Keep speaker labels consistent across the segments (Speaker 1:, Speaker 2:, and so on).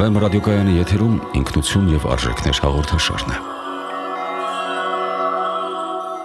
Speaker 1: Վեմ ռադիոկայանի եթերում ինքնություն եւ արժեքներ հաղորդաշարն է։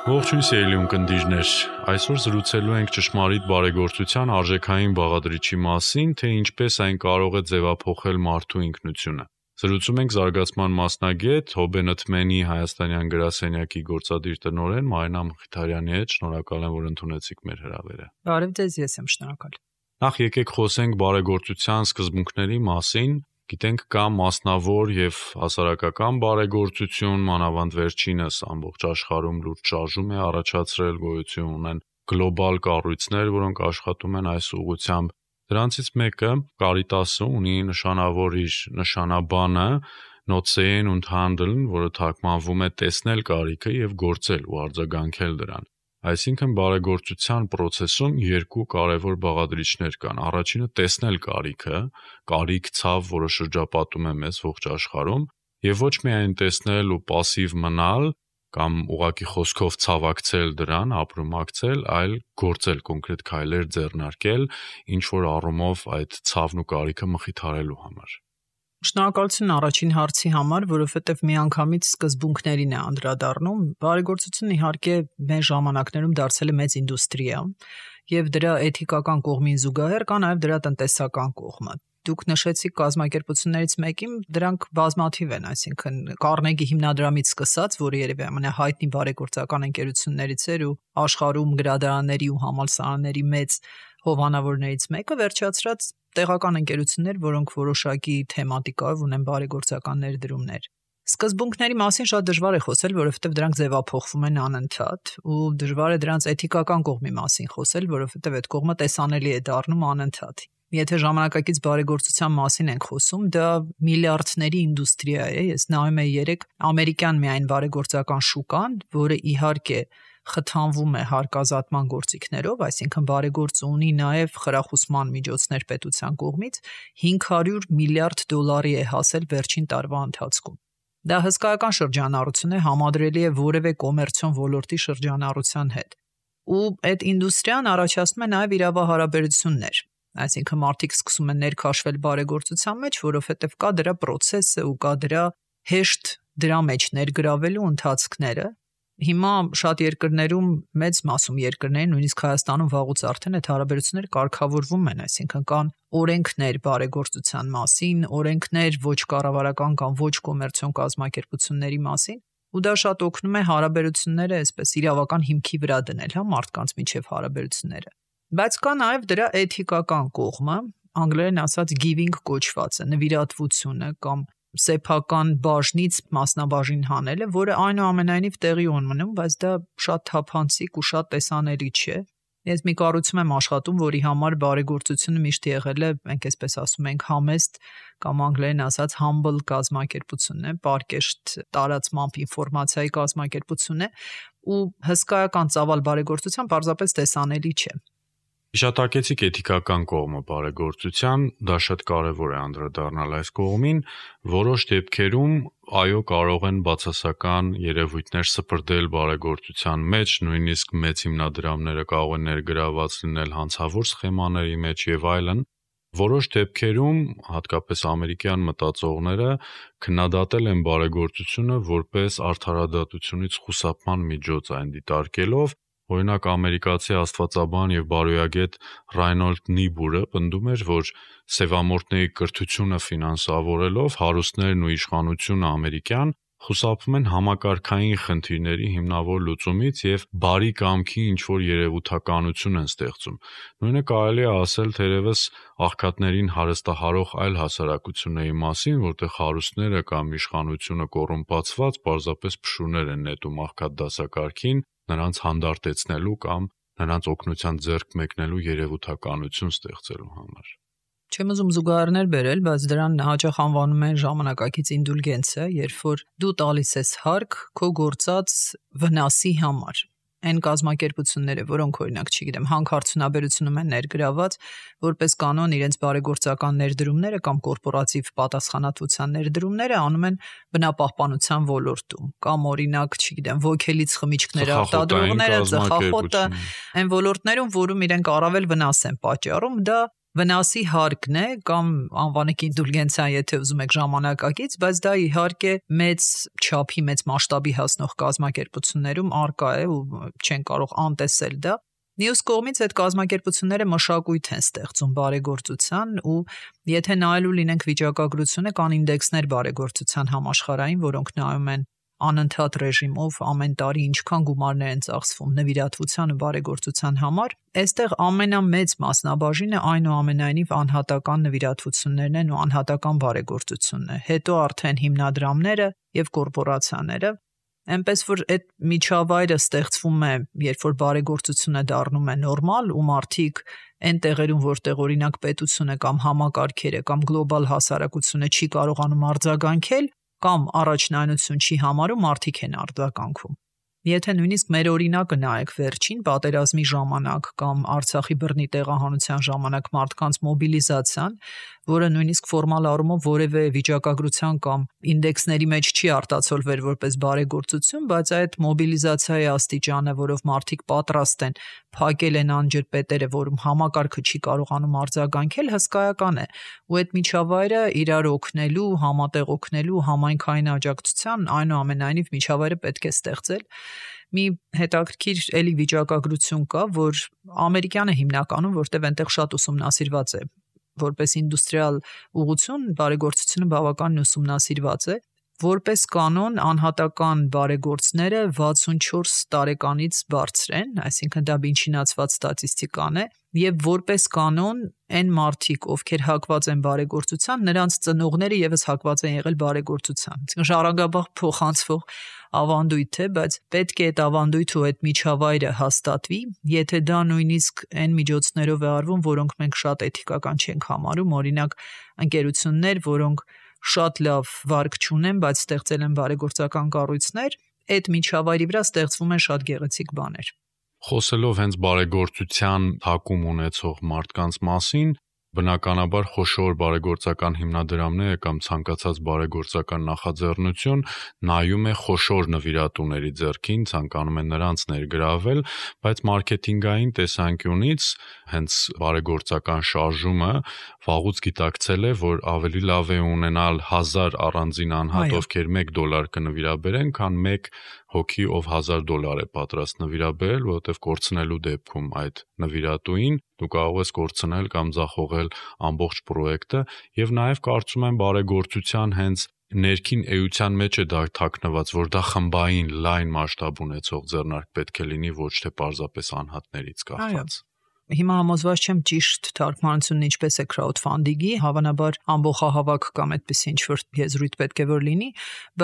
Speaker 2: Ողջույն սիրելի ունկնդիրներ, այսօր զրուցելու ենք ճշմարիտ բարեգործության արժեքային բաղադրիչի մասին, թե ինչպես այն կարող է ձևափոխել մարդու ինքնությունը։ Զրուցում ենք զարգացման մասնագետ Հոբենըթմենի հայաստանյան գրասենյակի գործադիր տնօրեն Մարինա Մխիթարյանի հետ։ Շնորհակալ եմ, որ ընդունեցիք մեր հրավերը։
Speaker 3: Բարև ձեզ, ես եմ շնորհակալ։
Speaker 2: Նախ եկեք խոսենք բարեգործության սկզբունքների մասին։ Գիտենք կա մասնավոր եւ հասարակական բարեգործություն, մանավանդ վերջինս ամբողջ աշխարհում լուրջ շարժում է առաջացրել, գոյություն ունեն գլոբալ կառույցներ, որոնք աշխատում են այս ուղղությամբ։ Դրանցից մեկը Կարիտասը ունի նշանավոր իր նշանաբանը Not sehen und handeln, որը թարգմանվում է տեսնել կարիքը եւ գործել ու արձագանքել դրան։ Այսինքն բարեգործության process-ում երկու կարևոր բաղադրիչներ կան։ Առաջինը տեսնել կարիքը, կարիք ցավ, որը շրջապատում է մեզ ողջ աշխարհում, եւ ոչ միայն տեսնել ու пассив մնալ կամ ուղակի խոսքով ցավակցել դրան, ապրումակցել, այլ գործել, կոնկրետ քայլեր ձեռնարկել, ինչ որ առումով այդ ցավն ու կարիքը մխիթարելու համար։
Speaker 3: Շնորհակալություն առաջին հարցի համար, որովհետև միանգամից սկզբունքներին է անդրադառնում։ Բարեգործությունն իհարկե մեր ժամանակներում դարձել է մեծ ինդուստրիա, եւ դրա էթիկական կողմին զուգահեռ կա նաեւ դրա տնտեսական կողմը։ Դուք նշեցիք կազմակերպություններից մեկին, դրանք բազմաթիվ են, այսինքն Կարնեգի հիմնադրամից սկսած, որը երևի ամենահայտնի բարեգործական ընկերություններից էր ու աշխարհում գրադարանների ու համալսարանների մեծ հովանավորներից մեկը, վերջացրած տեղական ընկերություններ, որոնք որոշակի թեմատիկայով ունեն բարեգործական ներդրումներ։ Սկզբունքների մասին շատ դժվար է խոսել, որովհետև դրանք ձևափոխվում են անընդհատ, ու դժվար է դրանց էթիկական կողմի մասին խոսել, որովհետև այդ կողմը տեսանելի է դառնում անընդհատ։ Եթե ժամանակակից բարեգործության մասին ենք խոսում, դա միլիարդների ինդուստրիա է։ Ես նայում եմ երեք ամերիկյան միայն բարեգործական շուկան, որը իհարկե խթանվում է հարկազատման գործիքներով, այսինքն բարեգործը ունի նաև խրախուսման միջոցներ պետության կողմից, $500 միլիարդ է հասել վերջին տարվա ընթացքում։ Դա հսկայական շրջանառություն է, համադրելի է որևէ կոմերցիոն ոլորտի շրջանառության հետ։ Ու այդ ինդուստրիան առաջացնում է նաև իրավահարաբերություններ, այսինքն մարդիկ սկսում են ներքաշվել բարեգործության մեջ, որովհետև կա դրա process-ը ու կա դրա հեշտ դրա մեջ ներգրավելու ընթացքները։ Հիմա շատ երկրներում, մեծ մասում երկրներին, նույնիսկ Հայաստանում վաղուց արդեն այդ հարաբերությունները կարգավորվում են, այսինքն կան օրենքներ բարեգործության մասին, օրենքներ ոչ կառավարական կամ ոչ կոմերցիոն կազմակերպությունների մասին, ու դա շատ օգնում է հարաբերությունները այսպես իրավական հիմքի վրա դնել, հա, մարդկանց միջև հարաբերությունները։ Բայց կա նաև դրա էթիկական կողմը, անգլերեն ասած giving կոչվածը, նվիրատվությունը կամ սեփական բաժնից մասնաբաժին հանելը, որը այնուամենայնիվ տեղի ունենում, բայց դա շատ թափանցիկ ու շատ տեսանելի չէ։ Ես մի կառույցում եմ աշխատում, որի համար բարեգործությունը միշտ եղել է, մենք այսպես ասում ենք, համեստ կամ անգլերեն ասած humble կազմակերպություն է, պարկեշտ տարածմամբ ինֆորմացիայի կազմակերպություն է, ու հսկայական ծավալ բարեգործության պարզապես տեսանելի չէ։
Speaker 2: Հիշատակեցիք էթիկական կողմը բարեգործության, դա շատ կարևոր է անդրադառնալ այս կողմին, որոշ դեպքերում այո կարող են բացասական երևույթներ սպրդել բարեգործության մեջ, նույնիսկ մեծ հիմնադրամները կարող են ներգրաված լինել հանցավոր սխեմաների մեջ եւ այլն։ Որոշ դեպքերում, հատկապես ամերիկյան մտածողները քննադատել են բարեգործությունը որպես արդարադատությունից խուսափման միջոց այն դիտարկելով։ Օրինակ ամերիկացի աստվածաբան եւ բարոյագետ Ռայնոլդ Նիբուրը պնդում էր, որ սևամորտների կրթությունը ֆինանսավորելով հարուստներն ու իշխանությունը ամերիկյան խուսափում են համակարգային խնդիրների հիմնավոր լուծումից եւ բարի կամքի ինչ-որ երևութականություն են ստեղծում։ Նույնը կարելի է ասել թերևս աղքատներին հարստահարող այլ հասարակությունների մասին, որտեղ հարուստները կամ իշխանությունը կոռումպացված պարզապես փշուրներ են նետում աղքատ դասակարգին, նրանց հանդարտեցնելու կամ նրանց օգնության ձեռք մեկնելու երևութականություն ստեղծելու համար։
Speaker 3: Չեմ ուզում զուգահեռներ բերել, բայց դրան հաճախ անվանում են ժամանակակից ինդուլգենցիա, երբ որ դու տալիս ես հարկ քո գործած վնասի համար։ Այն կազմակերպությունները, որոնք օրինակ, չգիտեմ, հանքարդյունաբերությունում են ներգրաված, որպես կանոն իրենց բարեգործական ներդրումները կամ կորպորատիվ պատասխանատվության ներդրումները անում են բնապահպանության ոլորտում, կամ օրինակ, չգիտեմ, ոգելից խմիչքներ արտադրողները, ծխախոտը, այն ոլորտներում, որում իրենք առավել վնաս են պատճառում, դա վնասի հարկն է կամ անվանեք ինդուլգենցիա, եթե ուզում եք ժամանակակից, բայց դա իհարկե մեծ չափի, մեծ մասշտաբի հասնող կազմակերպություններում արկա է ու չեն կարող անտեսել դա։ Մյուս կողմից այդ կազմակերպությունները մշակույթ են ստեղծում բարեգործության ու եթե նայելու լինենք վիճակագրությունը, կան ինդեքսներ բարեգործության համաշխարհային, որոնք նայում են անընդհատ ռեժիմով ամեն տարի ինչքան գումարներ են ծախսվում նվիրատվության ու բարեգործության համար, այստեղ ամենամեծ մասնաբաժինը այնուամենայնիվ անհատական նվիրատվություններն են ու անհատական բարեգործությունն է։ Հետո արդեն հիմնադրամները եւ կորպորացիաները, այնպես որ այդ միջավայրը ստեղծվում է, երբ որ բարեգործությունը դառնում է նորմալ ու մարդիկ այն տեղերում, որտեղ օրինակ պետությունը կամ համակարգերը կամ գլոբալ հասարակությունը չի կարողանում արձագանքել կամ առաջնայնություն չի համարում, մարդիկ են արձագանքում։ Եթե նույնիսկ մեր օրինակը նայեք վերջին պատերազմի ժամանակ կամ Արցախի բռնի տեղահանության ժամանակ մարդկանց մոբիլիզացիան, որը նույնիսկ ֆորմալ առումով որևէ վիճակագրության կամ ինդեքսների մեջ չի արտացոլվել որպես բարեգործություն, բայց այդ մոբիլիզացիայի աստիճանը, որով մարդիկ պատրաստ են փակել են անջրպետերը, որում համակարգը չի կարողանում արձագանքել, հսկայական է։ Ու այդ միջավայրը իրար օգնելու, համատեղ օգնելու, համայնքային աջակցության այնուամենայնիվ միջավայրը պետք է ստեղծել։ Մի հետաքրքիր էլի վիճակագրություն կա, որ ամերիկյանը հիմնականում, որտեղ այնտեղ շատ ուսումնասիրված է, որպես ինդուստրիալ ուղղություն բարեգործությունը բավականին ուսումնասիրված է, որպես կանոն անհատական բարեգործները 64 տարեկանից բարձր են, այսինքն դա բինչինացված ստատիստիկան է, եւ որպես կանոն այն մարդիկ, ովքեր հակված են բարեգործության, նրանց ծնողները եւս հակված են եղել բարեգործության։ Այսինքն ժառանգաբար փոխանցվող ավանդույթ է, բայց պետք է այդ ավանդույթը ու այդ միջավայրը հաստատվի, եթե դա նույնիսկ այն միջոցներով է արվում, որոնք մենք շատ էթիկական չենք համարում, օրինակ ընկերություններ, որոնք շատ լավ վարկ չունեն, բայց ստեղծել են բարեգործական կառույցներ, այդ միջավայրի վրա ստեղծվում են շատ գեղեցիկ բաներ։
Speaker 2: Խոսելով հենց բարեգործության հակում ունեցող մարդկանց մասին, բնականաբար խոշոր բարեգործական հիմնադրամները կամ ցանկացած բարեգործական նախաձեռնություն նայում է խոշոր նվիրատուների ձեռքին, ցանկանում է նրանց ներգրավել, բայց մարքեթինգային տեսանկյունից հենց բարեգործական շարժումը վաղուց գիտակցել է, որ ավելի լավ է ունենալ 1000 առանձին անհատ, ովքեր $1 կնվիրաբերեն, քան 1 հոգի, ով $1000 է պատրաստ նվիրաբերել, որովհետև կորցնելու դեպքում այդ նվիրատուին դու կարող ես կորցնել կամ ձախողել ամբողջ պրոյեկտը, եւ նաեւ կարծում եմ բարեգործության հենց ներքին էության մեջ է դա թաքնված, որ դա խմբային լայն մասշտաբ ունեցող ձեռնարկ պետք է լինի, ոչ թե պարզապես անհատներից կախված։
Speaker 3: Հիմա համոզված չեմ ճիշտ թարգմանությունն ինչպես է crowdfunding-ի, հավանաբար ամբողջահավաք կամ այդպես ինչ-որ եզրույթ պետք է որ լինի,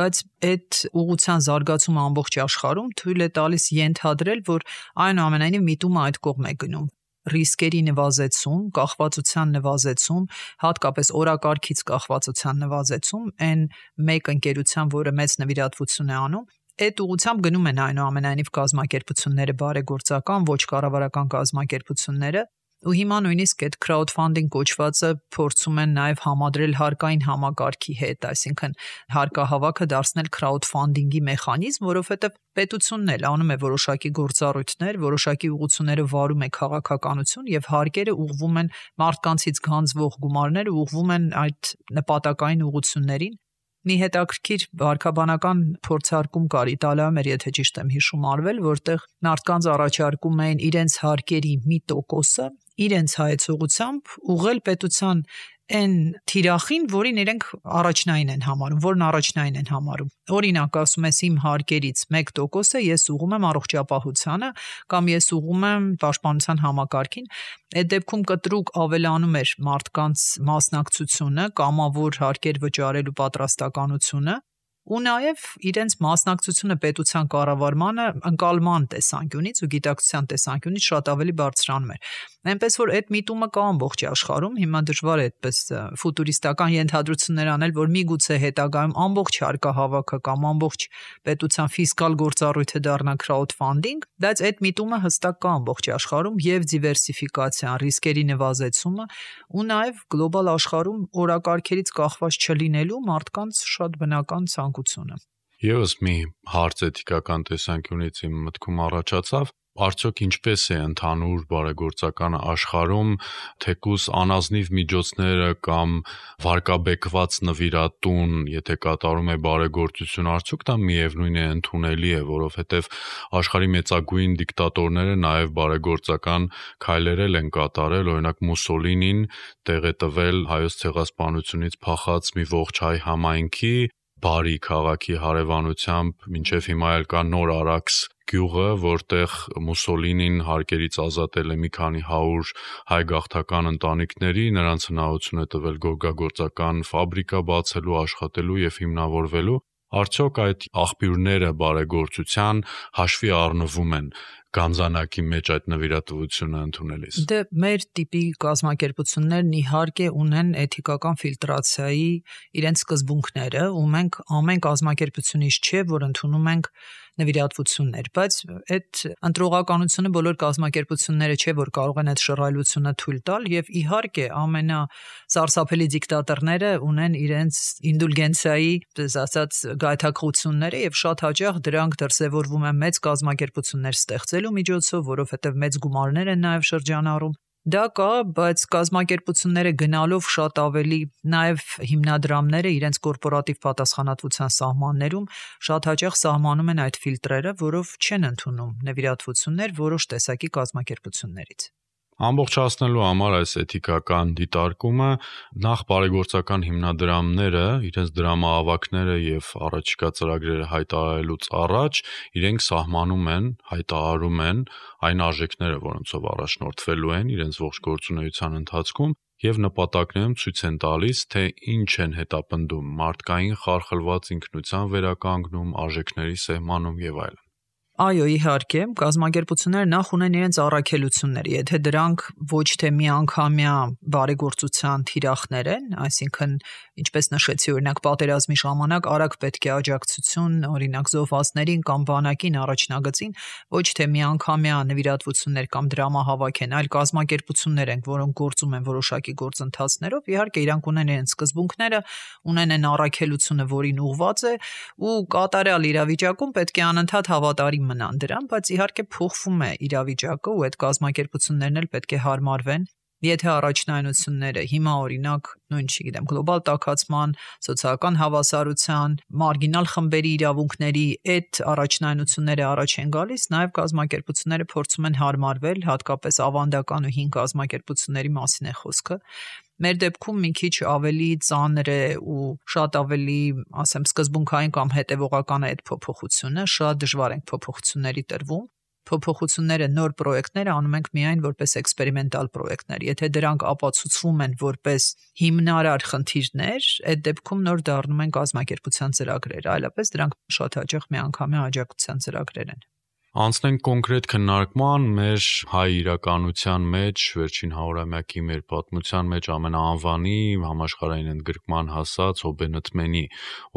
Speaker 3: բայց այդ ուղղության զարգացումը ամբողջ աշխարհում թույլ է տալիս ենթադրել, որ այնուամենայնիվ միտումը այդ կողմ է գնում։ Ռիսկերի նվազեցում, կախվածության նվազեցում, հատկապես օրակարգից կախվածության նվազեցում, այն մեկ ընկերության, որը մեծ նվիրատվություն է անում, այդ ուղղությամբ գնում են այնուամենայնիվ կազմակերպությունները, բարեգործական, ոչ կառավարական կազմակերպությունները, ու հիմա նույնիսկ այդ crowdfunding կոչվածը փորձում են նաև համադրել հարկային համակարգի հետ, այսինքն հարկահավաքը դարձնել crowdfunding-ի մեխանիզմ, որովհետև պետությունն էլ անում է որոշակի գործառույթներ, որոշակի ուղղությունները վարում է քաղաքականություն եւ հարկերը ուղղվում են մարդկանցից գանձվող գումարները ուղղվում են այդ նպատակային ուղղություններին։ Մի հետաքրքիր վարքաբանական փորձարկում կար Իտալիայում, եթե ճիշտ եմ հիշում արվել, որտեղ մարդկանց առաջարկում էին իրենց հարկերի մի տոկոսը իրենց հայեցողությամբ ուղղել պետության այն թիրախին, որին իրենք առաջնային են համարում, որն առաջնային են համարում։ Օրինակ, ասում ես իմ հարկերից 1% ես ուղղում եմ առողջապահությանը կամ ես ուղղում եմ պաշտպանության համակարգին։ Այդ դեպքում կտրուկ ավելանում էր մարդկանց մասնակցությունը, կամավոր հարկեր վճարելու պատրաստականությունը ու նաև իրենց մասնակցությունը պետության կառավարմանը ընկալման տեսանկյունից ու գիտակցության տեսանկյունից շատ ավելի բարձրանում էր։ Այնպես որ այդ միտումը կա ամբողջ աշխարհում, հիմա դժվար է այդպես ֆուտուրիստական ենթադրություններ անել, որ միգուցե հետագայում ամբողջ հարկահավաքը կամ ամբողջ պետության ֆիսկալ գործառույթը դառնա crowdfunding, բայց այդ միտումը հստակ կա ամբողջ աշխարհում եւ դիվերսիֆիկացիան, ռիսկերի նվազեցումը ու նաև գլոբալ աշխարհում օրակարգերից կախված չլինելու մարդկանց շատ բնական ցանկությունը։
Speaker 2: Եվս մի հարց էթիկական տեսանկյունից իմ մտքում առաջացավ, Արդյոք ինչպես է ընդհանուր բարեգործական աշխարհում թեկուզ անազնիվ միջոցները կամ վարկաբեկված նվիրատուն, եթե կատարում է բարեգործություն, արդյոք դա միևնույն է ընդունելի է, որովհետև աշխարհի մեծագույն դիկտատորները նաև բարեգործական քայլեր են կատարել, օրինակ Մուսոլինին տեղ է տվել հայոց ցեղասպանությունից փախած մի ողջ հայ համայնքի բարի քաղաքի հարևանությամբ, մինչև հիմա էլ կա Նոր Արաքս գյուղը, որտեղ Մուսոլինին հարկերից ազատել է մի քանի 100 հայ գաղթական ընտանիքների, նրանց հնարավորություն է տվել գորգագործական ֆաբրիկա բացելու, աշխատելու եւ հիմնավորվելու։ Արդյոք այդ աղբյուրները բարեգործության հաշվի առնվում են գանձանակի մեջ այդ նվիրատվությունը ընդունելիս։
Speaker 3: Դե մեր տիպի կազմակերպություններն իհարկե ունեն էթիկական ֆիլտրացիայի իրենց սկզբունքները, ու մենք ամեն կազմակերպությունից չէ, որ ընդունում ենք նվիրատվություններ, բայց այդ ընտրողականությունը բոլոր կազմակերպությունները չէ, որ կարող են այդ շռայլությունը թույլ տալ, եւ իհարկե ամենասարսափելի դիկտատորները ունեն իրենց ինդուլգենցիայի, ասած, գայթակղությունները եւ շատ հաճախ դրանք դրսեւորվում են մեծ կազմակերպություններ ստեղծելու միջոցով, որովհետեւ մեծ գումարներ են նաեւ շրջանառում։ Դա կա, բայց կազմակերպությունները գնալով շատ ավելի նաև հիմնադրամները իրենց կորպորատիվ պատասխանատվության սահմաններում շատ հաճախ սահմանում են այդ ֆիլտրերը, որով չեն ընդունում նվիրատվություններ որոշ տեսակի կազմակերպություններից։
Speaker 2: Ամբողջացնելու համար այս էթիկական դիտարկումը նախ բարեգործական հիմնադրամները իրենց դրամահավաքները եւ առաջիկա ծրագրերը հայտարարելուց առաջ իրենք սահմանում են, հայտարարում են այն արժեքները, որոնցով առաջնորդվելու են իրենց ողջ գործունեության ընթացքում եւ նպատակներում ցույց են տալիս, թե ինչ են հետապնդում մարդկային խարխլված ինքնության վերականգնում, արժեքների սահմանում եւ այլն։
Speaker 3: Այո, իհարկե, կազմակերպությունները նախ ունեն իրենց առաքելությունները, եթե դրանք ոչ թե միանգամյա բարեգործության թիրախներ են, այսինքն, ինչպես նշեցի, օրինակ պատերազմի ժամանակ արագ պետք է աջակցություն, օրինակ զոհվածներին կամ բանակին առաջնագծին, ոչ թե միանգամյա նվիրատվություններ կամ դրամահավաք են, այլ կազմակերպություններ են, որոնք գործում են որոշակի գործընթացներով, իհարկե իրանք ունեն իրենց սկզբունքները, ունեն են առաքելությունը, որին ուղղված է, ու կատարյալ իրավիճակում պետք է անընդհատ հավատարիմ մնան դրան, բայց իհարկե փոխվում է իրավիճակը ու այդ կազմակերպություններն էլ պետք է հարմարվեն։ Եթե առաջնայնությունները հիմա օրինակ, նույն չգիտեմ, գլոբալ տաքացման, սոցիալական հավասարության, մարգինալ խմբերի իրավունքների այդ առաջնայնությունները առաջ են գալիս, նաև կազմակերպությունները փորձում են հարմարվել, հատկապես ավանդական ու հին կազմակերպությունների մասին է խոսքը։ Մեր դեպքում մի քիչ ավելի ծանր է ու շատ ավելի, ասեմ, սկզբունքային կամ հետևողական է այդ փոփոխությունը, շատ դժվար ենք փոփոխությունների տրվում։ Փոփոխությունները, նոր պրոյեկտները անում ենք միայն որպես էքսպերիմենտալ պրոյեկտներ։ Եթե դրանք ապացուցվում են որպես հիմնարար խնդիրներ, այդ դեպքում նոր դառնում են կազմակերպության ծրագրեր, այլապես դրանք շատ հաճախ միանգամյա աջակցության ծրագրեր են։
Speaker 2: Անցնենք կոնկրետ քննարկման մեր հայ իրականության մեջ, վերջին 100-ամյակի մեր պատմության մեջ ամենաանվանի համաշխարհային ընդգրկման հասած Հոբենտմենի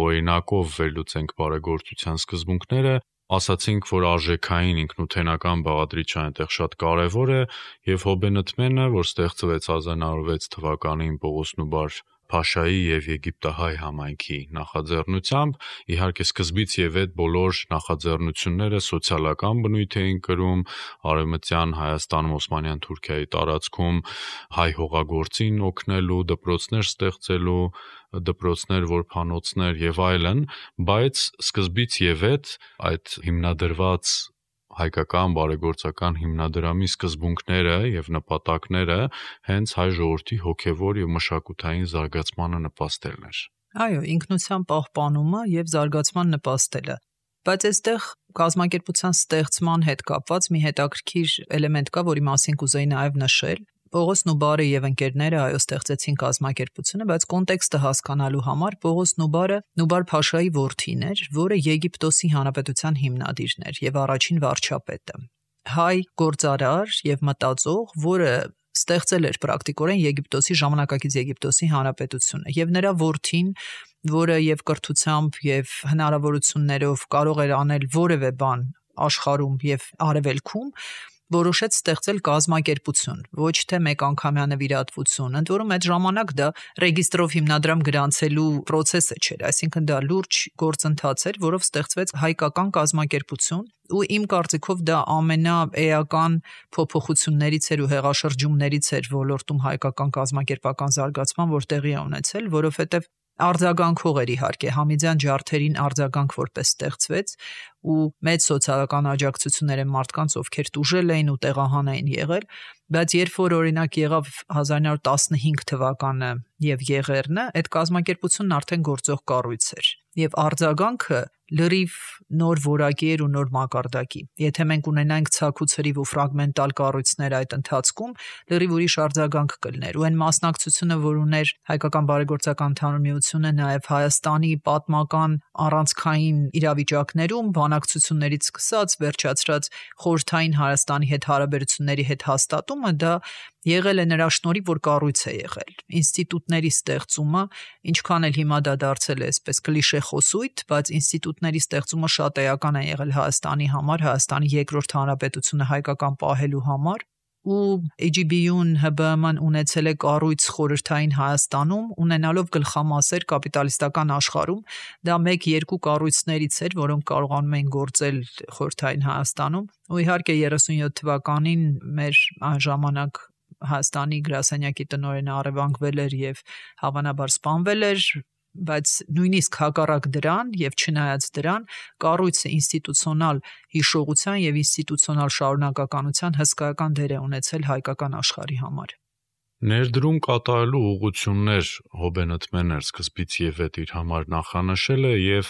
Speaker 2: օրինակով վերլուծենք բարեգործության սկզբունքները, ասացինք, որ արժեքային ինքնութենական բաղադրիչը այնտեղ շատ կարևոր է, եւ Հոբենտմենը, որ ստեղծվեց 1906 թվականին Պողոս Նուբար Փաշայի եւ Եգիպտահայ համայնքի նախաձեռնությամբ, իհարկե սկզբից եւ այդ բոլոր նախաձեռնությունները սոցիալական բնույթ էին կրում, արևմտյան Հայաստանում Օսմանյան Թուրքիայի տարածքում հայ հողագործին օգնելու, դպրոցներ ստեղծելու, դպրոցներ, որբանոցներ եւ այլն, բայց սկզբից եւ այդ հիմնադրված հայկական բարեգործական հիմնադրամի սկզբունքները եւ նպատակները հենց հայ ժողովրդի հոգեվոր եւ մշակութային զարգացմանը նպաստելն էր։
Speaker 3: Այո, ինքնության պահպանումը եւ զարգացման նպաստելը։ Բայց այստեղ կազմակերպության ստեղծման հետ կապված մի հետաքրքիր էլեմենտ կա, որի մասին կուզեի նաեւ նշել։ Պողոս Նուբարը եւ ընկերները այո ստեղծեցին կազմակերպությունը, բայց կոնտեքստը հասկանալու համար Պողոս Նուբարը Նուբար Փաշայի որդին էր, որը Եգիպտոսի հանրապետության հիմնադիրն էր եւ առաջին վարչապետը։ Հայ գործարար եւ մտածող, որը ստեղծել էր պրակտիկորեն Եգիպտոսի ժամանակակից Եգիպտոսի հանրապետությունը եւ նրա որդին, որը եւ կրթությամբ եւ հնարավորություններով կարող էր անել որևէ բան աշխարհում եւ արևելքում, որոշեց ստեղծել կազմակերպություն, ոչ թե մեկանգամյա նվիրատվություն։ Ընդ որում այդ ժամանակ դա ռեգիստրով հիմնադրամ գրանցելու process-ը չէր, այսինքն դա լուրջ գործընթաց էր, որով ստեղծվեց հայկական կազմակերպություն, ու իմ կարծիքով դա ամենաէական փոփոխություններից էր ու հեղաշրջումներից էր ոլորտում հայկական կազմակերպական զարգացման, որ տեղի է ունեցել, որովհետև արձագանքող էր իհարկե Համիդյան ջարդերին արձագանք որպես ստեղծվեց ու մեծ սոցիալական աջակցություններ են մարդկանց, ովքեր տուժել էին ու տեղահան էին եղել, բայց երբ որ օրինակ եղավ 1915 թվականը եւ Եղեռնը, այդ կազմակերպությունն արդեն գործող կառույց էր եւ արձագանքը լրիվ նոր որակի էր ու նոր մակարդակի։ Եթե մենք ունենայինք ցակուցրիվ ու ֆրագմենտալ կառույցներ այդ ընթացքում, լրիվ ուրիշ արձագանք կլներ։ Ու այն մասնակցությունը, որ ուներ Հայկական բարեգործական ընդհանուր միությունը, նաև Հայաստանի պատմական առանցքային իրավիճակներում, բանակցություններից սկսած վերջացրած խորհրդային Հայաստանի հետ հարաբերությունների հետ հաստատումը, դա եղել է նրա շնորհիվ, որ կառույց է եղել։ Ինստիտուտների ստեղծումը, ինչքան էլ հիմա դա դարձել է այսպես կլիշե խոսույթ, բայց ինստիտուտների ստեղծումը շատ էական է եղել Հայաստանի համար, Հայաստանի երկրորդ հանրապետությունը հայկական պահելու համար, ու AGB-ուն ՀԲԸՄ-ն ունեցել է կառույց խորհրդային Հայաստանում, ունենալով գլխամասեր կապիտալիստական աշխարհում, դա 1-2 կառույցներից էր, որոնք կարողանում էին գործել խորհրդային Հայաստանում, ու իհարկե 37 թվականին մեր այն ժամանակ Հայաստանի գրասենյակի տնօրենը առևանգվել էր եւ հավանաբար սպանվել էր, բայց նույնիսկ հակառակ դրան եւ չնայած դրան կառույցը ինստիտուցիոնալ հիշողության եւ ինստիտուցիոնալ շարունակականության հսկայական դեր է ունեցել հայկական աշխարհի համար։
Speaker 2: Ներդրում կատարելու ուղղություններ Հոբենըթմենը սկզբից եւ հետ իր համար նախանշել է եւ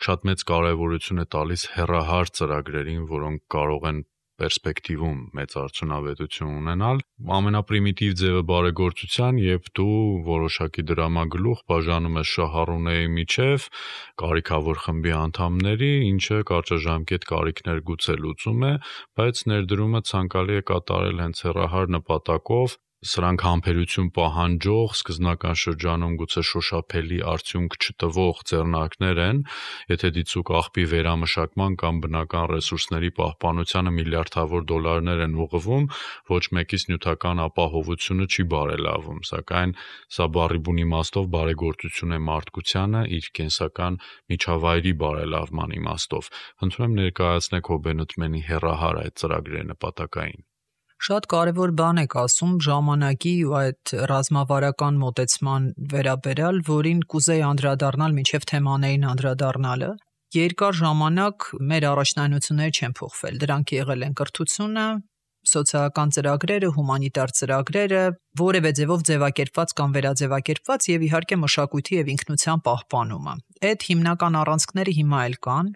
Speaker 2: շատ մեծ կարեւորություն է տալիս հեռահար ծրագրերին, որոնք կարող են պերսպեկտիվում մեծ արդյունավետություն ունենալ։ Ամենապրիմիտիվ ձևը բարեգործության, երբ դու որոշակի դրամագլուխ բաժանում ես շահառուների միջև կարիքավոր խմբի անդամների, ինչը կարճաժամկետ կարիքներ գուցե լուծում է, բայց ներդրումը ցանկալի է կատարել հենց հեռահար նպատակով։ Սրանք համբերություն պահանջող, սկզբնական շրջանում գուցե շոշափելի արդյունք չտվող ձեռնարկներ են, եթե դիցուք աղբի վերամշակման կամ բնական ռեսուրսների պահպանությանը միլիարդավոր դոլարներ են ուղղվում, ոչ մեկից նյութական ապահովությունը չի բարելավում, սակայն սա բառի բուն իմաստով բարեգործություն է մարդկությանը իր կենսական միջավայրի բարելավման իմաստով։ Խնդրում եմ ներկայացնեք Հոբենըթմենի հեռահար այդ ծրագրերի նպատակային։
Speaker 3: Շատ կարևոր բան եք ասում ժամանակի ու այդ ռազմավարական մոտեցման վերաբերյալ, որին կուզեի անդրադառնալ մինչև թեմաներին անդրադառնալը։ Երկար ժամանակ մեր առաջնայնությունները չեն փոխվել։ Դրանք եղել են կրթությունը, սոցիալական ծրագրերը, հումանիտար ծրագրերը, որևէ ձևով ձևակերպված կամ վերաձևակերպված եւ իհարկե մշակույթի եւ ինքնության պահպանումը։ Այդ հիմնական առանցքները հիմա էլ կան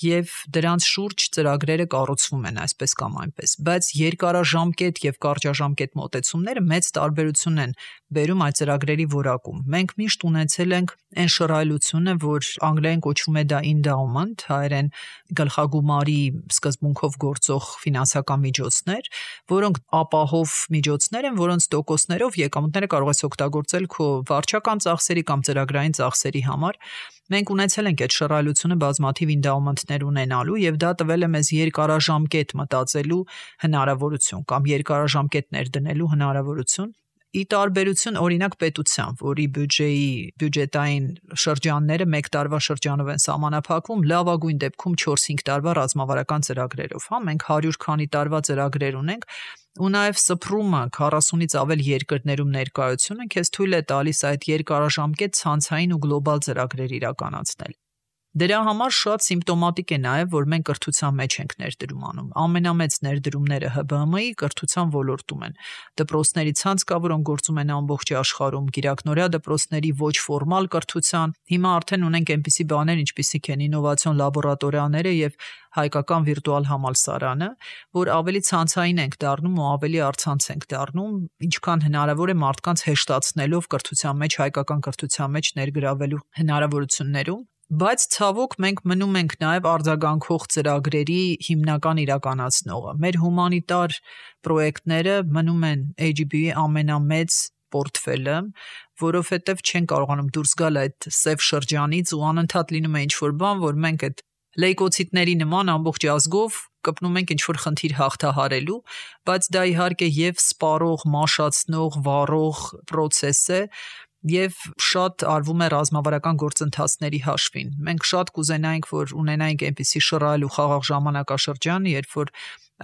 Speaker 3: եւ դրանց շուրջ ծրագրերը կառուցվում են այսպես կամ այնպես, բայց երկարաժամկետ եւ կարճաժամկետ մոտեցումները մեծ տարբերություն են բերում այդ ծրագրերի որակում։ Մենք միշտ ունեցել ենք այն շռայլությունը, որ անգլերեն կոչվում է դա endowment, հայերեն գլխագումարի սկզբունքով գործող ֆինանսական միջոցներ, որոնք ապահով միջոցներ են, որոնց տոկոսներով եկամուտները կարող ես օգտագործել քո վարչական ծախսերի կամ ծրագրային ծախսերի համար։ Մենք ունեցել ենք այդ շռայլությունը բազմաթիվ endowment-ներ ունենալու եւ դա տվել է մեզ երկարաժամկետ մտածելու հնարավորություն կամ երկարաժամկետ ներդնելու հնարավորություն։ Ի տարբերություն օրինակ պետության, որի բյուջետային շրջանները 1 տարվա շրջանով են սահմանափակվում, լավագույն դեպքում 4-5 տարվա ռազմավարական ծրագրերով, հա, մենք 100 քանի տարվա ծրագրեր ունենք, ու նաև սփռումը 40-ից ավել երկրներում ներկայությունը քեզ թույլ է տալիս այդ երկարաժամկետ ցանցային ու գլոբալ ծրագրեր իրականացնել։ Դրա համար շատ սիմպտոմատիկ է նաև, որ մենք կրթության մեջ ենք ներդրում անում։ Ամենամեծ ներդրումները ՀԲԸՄ-ի կրթության ոլորտում են։ Դպրոցների ցանց կա, որոնք գործում են ամբողջ աշխարհում, գիրակնորյա դպրոցների ոչ ֆորմալ կրթության։ Հիմա արդեն ունենք այնպիսի բաներ, ինչպիսիք են ինովացիոն լաբորատորիաները եւ հայկական վիրտուալ համալսարանը, որ ավելի ցանցային ենք դառնում ու ավելի առցանց ենք դառնում, ինչքան հնարավոր է մարդկանց հեշտացնելով կրթության մեջ, հայկական կրթության մեջ ներգրավելու հնարավորություններում։ Բայց ցավոք մենք մնում ենք նաև արձագանքող ծրագրերի հիմնական իրականացնողը։ Մեր հումանիտար պրոյեկտները մնում են AGB-ի ամենամեծ պորտֆելը, որովհետև չեն կարողանում դուրս գալ այդ սև շրջանից ու անընդհատ լինում է ինչ-որ բան, որ մենք այդ լեյկոցիտների նման ամբողջ ազգով կպնում ենք ինչ-որ խնդիր հաղթահարելու, բայց դա իհարկե եւ սպառող, մաշացնող, վառող process է եւ շատ արվում է ռազմավարական գործընթացների հաշվին։ Մենք շատ կուզենայինք, որ ունենայինք այնպիսի շռայլ ու խաղաղ ժամանակաշրջան, երբ որ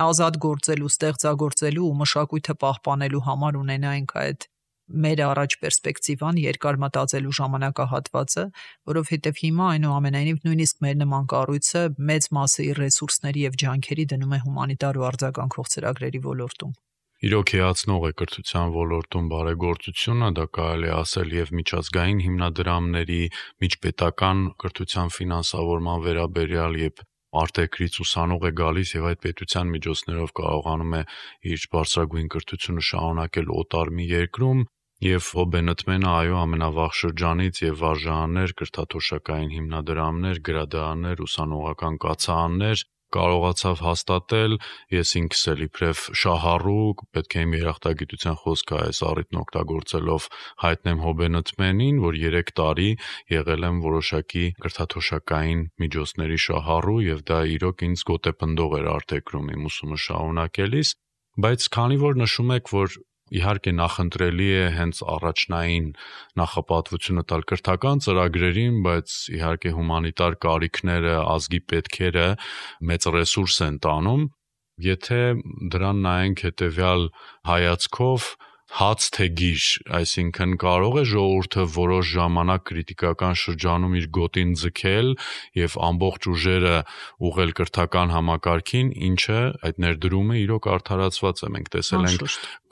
Speaker 3: ազատ գործելու, ստեղծագործելու ու մշակույթը պահպանելու համար ունենայինք այդ մեր առաջ պերսպեկտիվան, երկար մտածելու ժամանակահատվածը, որովհետև հիմա այնուամենայնիվ նույնիսկ մեր նման կառույցը մեծ մասը իր ռեսուրսների եւ ջանքերի դնում է հումանիտար ու արձագանքող ծրագրերի ոլորտում։
Speaker 2: Իրոք հիացնող է կրթության ոլորտում բարեգործությունը, դա կարելի է ասել եւ միջազգային հիմնադրամների, միջպետական կրթության ֆինանսավորման վերաբերյալ եւ արտերկրից ուսանող է գալիս եւ այդ պետության միջոցներով կարողանում է իր բարձրագույն կրթությունը շարունակել օտար մի երկրում եւ Հոբենտմենը այո ամենավաղ շրջանից եւ վարժարաններ, կրթաթոշակային հիմնադրամներ, գրադարաններ, ուսանողական կացարաններ կարողացավ հաստատել, ես ինքս էլ իբրև շահառու, պետք է իմ երախտագիտության խոսքը այս առիթն օգտագործելով հայտնեմ Հոբենտմենին, որ 3 տարի եղել եմ որոշակի կրթաթոշակային միջոցների շահառու եւ դա իրոք ինձ գոտեպնդող էր արտերկրում իմ ուսումը շարունակելիս, բայց քանի որ նշում եք, որ իհարկե նախընտրելի է հենց առաջնային նախապատվությունը տալ կրթական ծրագրերին, բայց իհարկե հումանիտար կարիքները, ազգի պետքերը մեծ ռեսուրս են տանում, եթե դրան նայենք հետեւյալ հայացքով հաց թե գիր, այսինքն կարող է ժողովուրդը որոշ ժամանակ քրիտիկական շրջանում իր գոտին ձգել եւ ամբողջ ուժերը ուղղել կրթական համակարգին, ինչը այդ ներդրումը իրոք արդարացված է։ Մենք տեսել ենք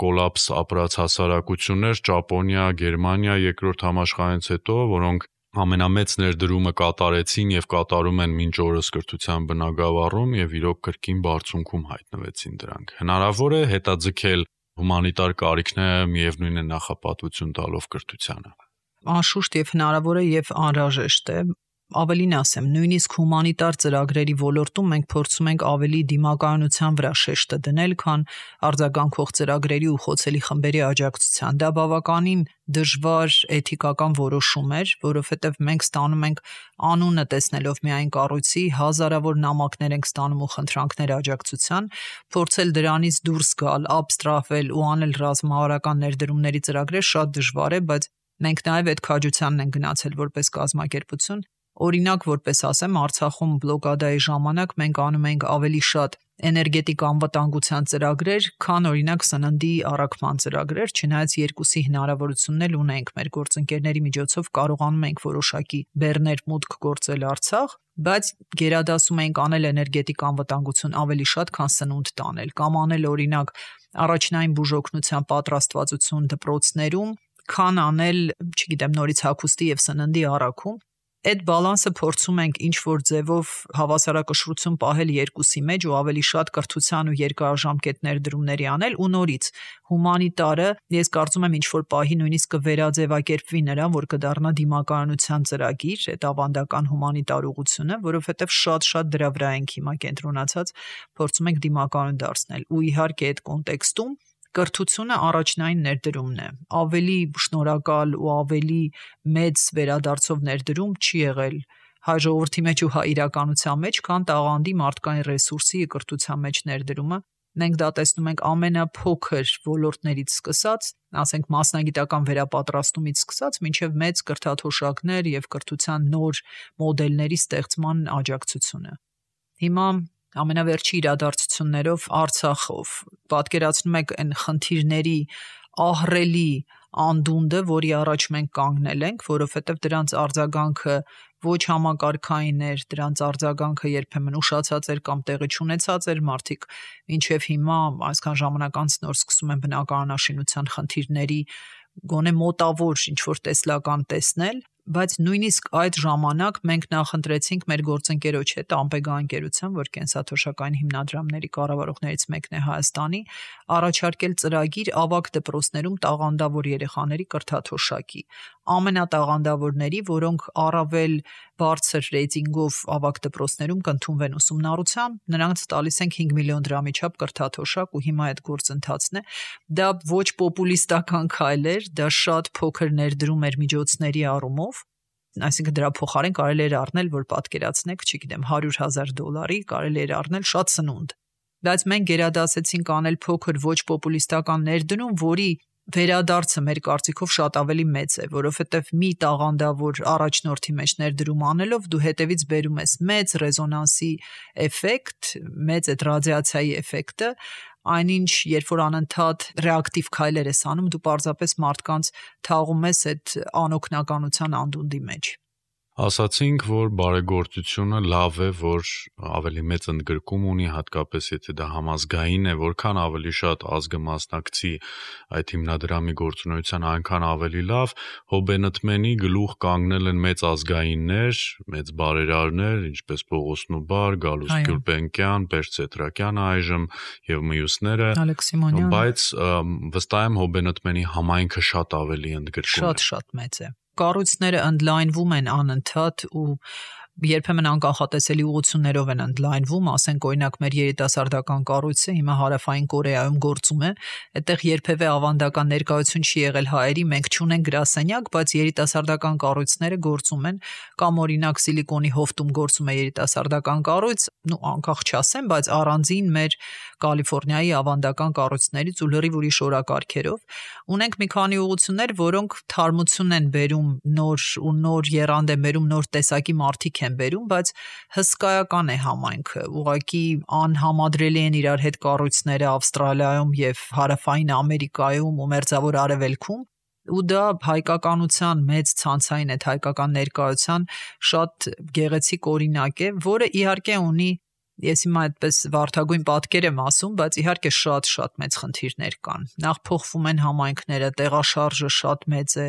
Speaker 2: կոլապս ապրած հասարակություններ, Ճապոնիա, Գերմանիա երկրորդ համաշխարհից հետո, որոնք ամենամեծ ներդրումը կատարեցին եւ կատարում են մինչ օրս կրթության բնագավառում եւ իրոք կրկին բարձունքում հայտնվեցին դրանք։ Հնարավոր է հետաձգել հումանիտար կարիքները միևնույն է նախապատվություն տալով կրթությանը։
Speaker 3: Անշուշտ եւ հնարավոր է եւ անհրաժեշտ է։ Ավելին ասեմ, նույնիսկ հումանիտար ծրագրերի ոլորտում մենք փորձում ենք ավելի դիմակայունության վրա շեշտը դնել, քան արձագանքող ծրագրերի ու խոցելի խմբերի աջակցության։ Դա բավականին դժվար էթիկական որոշում էր, որովհետև մենք ստանում ենք անունը տեսնելով միայն կառույցի, հազարավոր նամակներ ենք ստանում ու խնդրանքներ աջակցության, փորձել դրանից դուրս գալ, աբստրահվել ու անել ռազմավարական ներդրումների ծրագրեր շատ դժվար է, բայց մենք նաև այդ քաջությանն ենք գնացել որպես կազմակերպություն։ Օրինակ, որպես ասեմ, Արցախում բլոկադայի ժամանակ մենք անում ենք ավելի շատ էներգետիկ անվտանգության ծրագրեր, քան օրինակ սննդի առաքման ծրագրեր, չնայած երկուսի հնարավորությունն էլ ունենք մեր գործընկերների միջոցով կարողանում ենք որոշակի բեռներ մուտք գործել Արցախ, բայց գերադասում ենք անել էներգետիկ անվտանգություն ավելի շատ, քան սնունդ տանել, կամ անել օրինակ առաջնային բուժօգնության պատրաստվածություն դպրոցներում, քան անել, չգիտեմ, նորից հագուստի եւ սննդի առաքում։ Այդ բալանսը փորձում ենք ինչ-որ ձևով հավասարակշռություն պահել երկուսի մեջ ու ավելի շատ կրթության ու երկարաժամկետ ներդրումների անել ու նորից հումանիտարը ես կարծում եմ ինչ-որ պահի նույնիսկ կվերաձևակերպվի նրան, որ կդառնա դիմակայունության ծրագիր, այդ ավանդական հումանիտար ուղղությունը, որովհետև շատ դրա վրա ենք հիմա կենտրոնացած, փորձում ենք դիմակայուն դարձնել ու իհարկե այդ կոնտեքստում կրթությունը առաջնային ներդրումն է։ Ավելի շնորհակալ ու ավելի մեծ վերադարձով ներդրում չի եղել հայ ժողովրդի մեջ ու հայ իրականության մեջ, քան տաղանդի մարդկային ռեսուրսի կրթության մեջ ներդրումը։ Մենք դա տեսնում ենք ամենափոքր ոլորտներից սկսած, ասենք մասնագիտական վերապատրաստումից սկսած, մինչև մեծ կրթաթոշակներ եւ կրթության նոր մոդելների ստեղծման աջակցությունը։ Հիմա ամենավերջի իրադարձություններով Արցախով պատկերացնում եք այն խնդիրների ահռելի անդունդը, որի առաջ մենք կանգնել ենք, որովհետև դրանց արձագանքը ոչ համակարգային էր, դրանց արձագանքը երբեմն ուշացած էր կամ տեղի չունեցած էր, մարդիկ մինչև հիմա այսքան ժամանակ անց նոր սկսում են բնակարանաշինության խնդիրների գոնե մոտավոր ինչ-որ տեսլական տեսնել, բայց նույնիսկ այդ ժամանակ մենք նախընտրեցինք մեր գործընկերոջ հետ Ամպեգա ընկերության, որ կենսաթոշակային հիմնադրամների կառավարողներից մեկն է Հայաստանի, առաջարկել ծրագիր ավագ դպրոցներում տաղանդավոր երեխաների կրթաթոշակի, ամենատաղանդավորների, որոնք առավել բարձր ռեյտինգով ավագ դպրոցներում կընդունվեն ուսումնառության, նրանց տալիս ենք 5 միլիոն դրամի չափ կրթաթոշակ ու հիմա այդ գործընթացն է։ Դա ոչ պոպուլիստական քայլ էր, դա շատ փոքր ներդրում էր միջոցների առումով, Այսինքն դրա փոխարեն կարելի էր առնել, որ պատկերացնեք, չգիտեմ, $100,000 կարելի էր առնել շատ սնունդ։ Բայց մենք գերադասեցինք անել փոքր ոչ պոպուլիստական ներդրում, որի վերադարձը մեր կարծիքով շատ ավելի մեծ է, որովհետև մի տաղանդավոր առաջնորդի մեջ ներդրում անելով դու հետևից բերում ես մեծ ռեզոնանսի էֆեկտ, մեծ այդ ռադիացիայի էֆեկտը, այնինչ երբ որ անընդհատ ռեակտիվ քայլեր ես անում, դու պարզապես մարդկանց թաղում ես այդ անօգնականության անդունդի մեջ։
Speaker 2: Ասացինք, որ բարեգործությունը լավ է, որ ավելի մեծ ընդգրկում ունի, հատկապես եթե դա համազգային է, որքան ավելի շատ ազգը մասնակցի այդ հիմնադրամի գործունեության, այնքան ավելի լավ։ Հոբենտմենի գլուխ կանգնել են մեծ ազգայիններ, մեծ բարերարներ, ինչպես Պողոս Նուբար, Գալուստ Գյուլբենկյան, Պերճ Սետրակյանը այժմ եւ մյուսները, բայց վստահ եմ Հոբենտմենի համայնքը շատ ավելի ընդգրկում է։
Speaker 3: Շատ մեծ է։ Կառույցները ընդլայնվում են անընդհատ ու երբեմն անկանխատեսելի ուղղություններով են ընդլայնվում, ասենք օրինակ մեր երիտասարդական կառույցը հիմա Հարավային Կորեայում գործում է, այդտեղ երբևէ ավանդական ներկայություն չի եղել հայերի, մենք չունենք գրասենյակ, բայց երիտասարդական կառույցները գործում են, կամ օրինակ Սիլիկոնի հովտում գործում է երիտասարդական կառույց, անկախ չասեմ, բայց առանձին մեր Կալիֆոռնիայի ավանդական կառույցներից ու լրիվ ուրիշ օրակարգերով ունենք մի քանի ուղղություններ, որոնք թարմություն են բերում նոր եռանդ են բերում, նոր տեսակի մարդիկ են բերում, բայց հսկայական է համայնքը, ուղղակի անհամադրելի են իրար հետ կառույցները Ավստրալիայում եւ Հարավային Ամերիկայում ու Մերձավոր Արևելքում, ու դա հայկականության մեծ ցանցային այդ հայկական ներկայության շատ գեղեցիկ օրինակ է, որը իհարկե ունի, ես հիմա այդպես վարդագույն պատկեր եմ ասում, բայց իհարկե շատ մեծ խնդիրներ կան։ Նախ փոխվում են համայնքները, տեղաշարժը շատ մեծ է,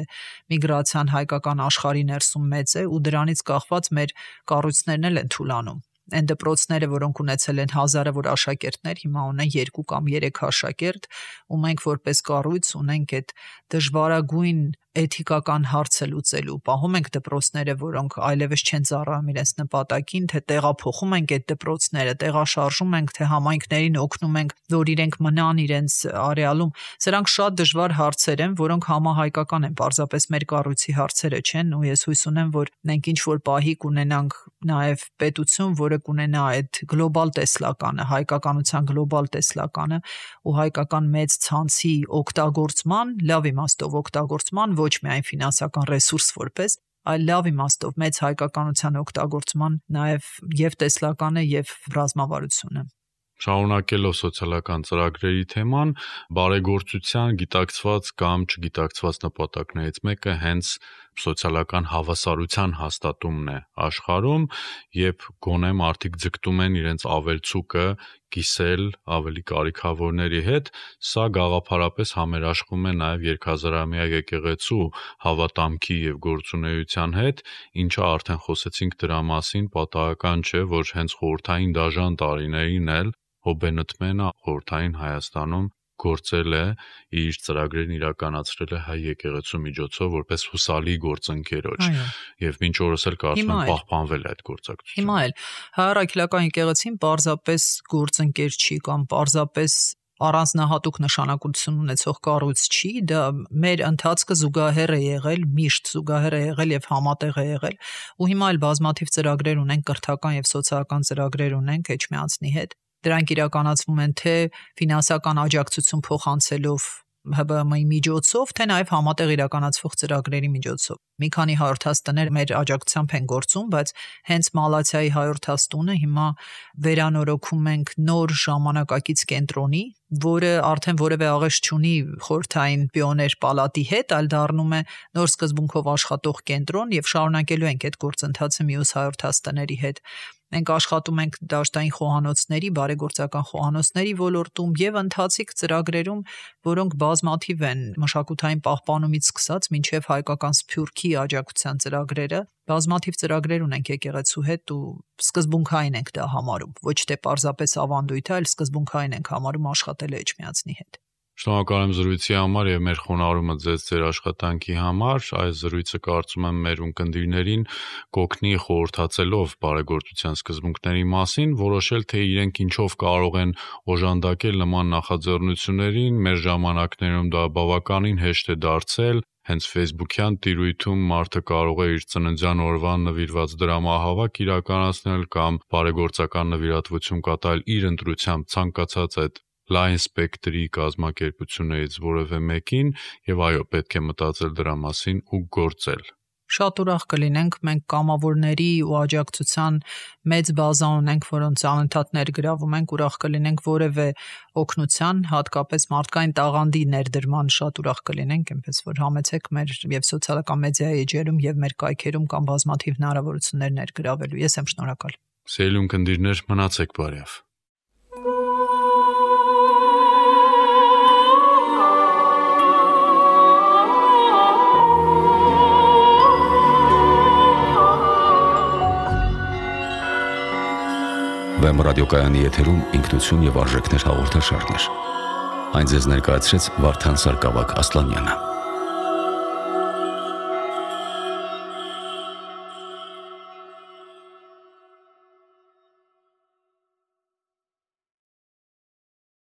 Speaker 3: միգրացիան հայկական աշխարհի ներսում մեծ է ու դրանից կախված մեր կառույցներն էլ են թուլանում։ Այն դպրոցները, որոնք ունեցել են 1000-ը որ աշակերտներ, հիմա ունեն 2 կամ 3 աշակերտ, ու մենք որպես կառույց ունենք այդ դժվարագույն էթիկական հարցը լուծելու։ Պահում ենք դպրոցները, որոնք այլևս չեն ծառայում իրենց նպատակին, թե տեղափոխում ենք այդ դպրոցները, տեղաշարժում ենք, թե համայնքներին օգնում ենք, որ իրենք մնան իրենց արեալում։ Սրանք շատ դժվար հարցեր են, որոնք համահայկական են, պարզապես մեր կառույցի հարցերը չեն, ու ես հույս ունեմ, որ մենք ինչ-որ պահի կունենանք նաև պետություն, որը կունենա այդ գլոբալ տեսլականը, հայկականության գլոբալ տեսլականը ու հայկական մեծ ցանցի օգտագործման, լավ իմաստով օգտագործման, ոչ միայն ֆինանսական ռեսուրս որպես, այլ լավ իմաստով մեծ հայկականության օգտագործման նաև եւ տեսլականը եւ ռազմավարությունը։
Speaker 2: Շարունակելով սոցիալական ծրագրերի թեման, բարեգործության գիտակցված կամ չգիտակցված նպատակներից մեկը հենց սոցիալական հավասարության հաստատումն է աշխարհում, երբ գոնե մարդիկ ձգտում են իրենց ավելցուկը կիսել ավելի կարիքավորների հետ, սա գաղափարապես համերաշխվում է նաև երկհազարամյա եկեղեցու հավատամքի եւ գործունեության հետ, ինչը արդեն խոսեցինք դրա մասին, պատահական չէ, որ հենց խորհրդային դաժան տարիներին էլ Հոբենտմենը խորհրդային Հայաստանում գործել է, իր ծրագրերն իրականացրել է հայ եկեղեցու միջոցով որպես հուսալի գործընկերոջ եւ մինչ օրս էլ կարծում եմ պահպանվել է այդ գործակցությունը։
Speaker 3: Հիմա էլ հայ-առաքելական եկեղեցին պարզապես գործընկեր չի կամ պարզապես առանձնահատուկ նշանակություն ունեցող կառույց չի, դա մեր ընթացքը զուգահեռ է եղել, միշտ զուգահեռ է եղել եւ համատեղ է եղել, ու հիմա էլ բազմաթիվ ծրագրեր ունենք, կրթական եւ սոցիալական ծրագրեր ունենք Էջմիածնի հետ։ Դրանք իրականացվում են թե ֆինանսական աջակցություն փոխանցելով ՀԲՄ-ի միջոցով, թե նաև համատեղ իրականացվող ծրագրերի միջոցով։ Մի քանի 100 տներ մեր աջակցությամբ են գործում, բայց հենց Մալաթիայի 100 տունը հիմա վերանորոգում ենք նոր ժամանակակից կենտրոնի, որը արդեն որևէ աղեշ չունի խորհրդային պիոներ պալատի հետ, այլ դառնում է նոր սկզբունքով աշխատող կենտրոն եւ շարունակելու ենք այդ գործընթացը մյուս 100 տների հետ։ Մենք աշխատում ենք դաշտային խոհանոցների, բարեգործական խոհանոցների ոլորտում եւ ընթացիկ ծրագրերում, որոնք բազմաթիվ են, մշակութային պահպանումից սկսած մինչեւ հայկական սփյուռքի աջակցության ծրագրերը, բազմաթիվ ծրագրեր ունենք եկեղեցու հետ ու սկզբունքային ենք դա համարում, ոչ թե պարզապես ավանդույթ, այլ սկզբունքային ենք համարում աշխատել Էջմիածնի հետ։
Speaker 2: Շնորհակալ եմ զրույցի համար եւ մեր խոնարհումը ձեր աշխատանքի համար։ Այս զրույցը կարծում եմ մեր ունկնդիրներին կօգնի խորհրդացելով բարեգործության սկզբունքների մասին, որոշել թե իրենք ինչով կարող են օժանդակել նման նախաձեռնություններին։ Մեր ժամանակներում դա բավականին հեշտ է դարձել, Հենց Facebook-յան տիրույթում մարդը կարող է իր ծննդյան օրվան նվիրված դրամահավաք իրականացնել կամ բարեգործական նվիրատվություն կատարել իր ընտրությամբ ցանկացած այդ լայն սպեկտրի կազմակերպություններից որևէ մեկին եւ այո, պետք է մտածել դրա մասին ու գործել։
Speaker 3: Շատ ուրախ կլինենք մենք կամավորների ու աջակցության մեծ բազա ունենք, որոնց անընդհատ ներգրավում ենք, ուրախ կլինենք որևէ օգնության, հատկապես մարդկային տաղանդի ներդրման շատ ուրախ կլինենք, այնպես որ համեցեք մեր եւ սոցիալական մեդիայի էջերում եւ մեր կայքերում կամ բազմաթիվ հնարավորություններ ներգրավելու։ Ես եմ շնորհակալ։
Speaker 2: Սիրելի ունկնդիրներ, մնացեք բարյավ։
Speaker 1: Վեմ ռադիոկայանի եթերում ինքնություն եւ արժեքներ հաղորդաշարներ։ Այն ձեզ ներկայացրեց Վարդան Սարգսակ Ասլանյանը։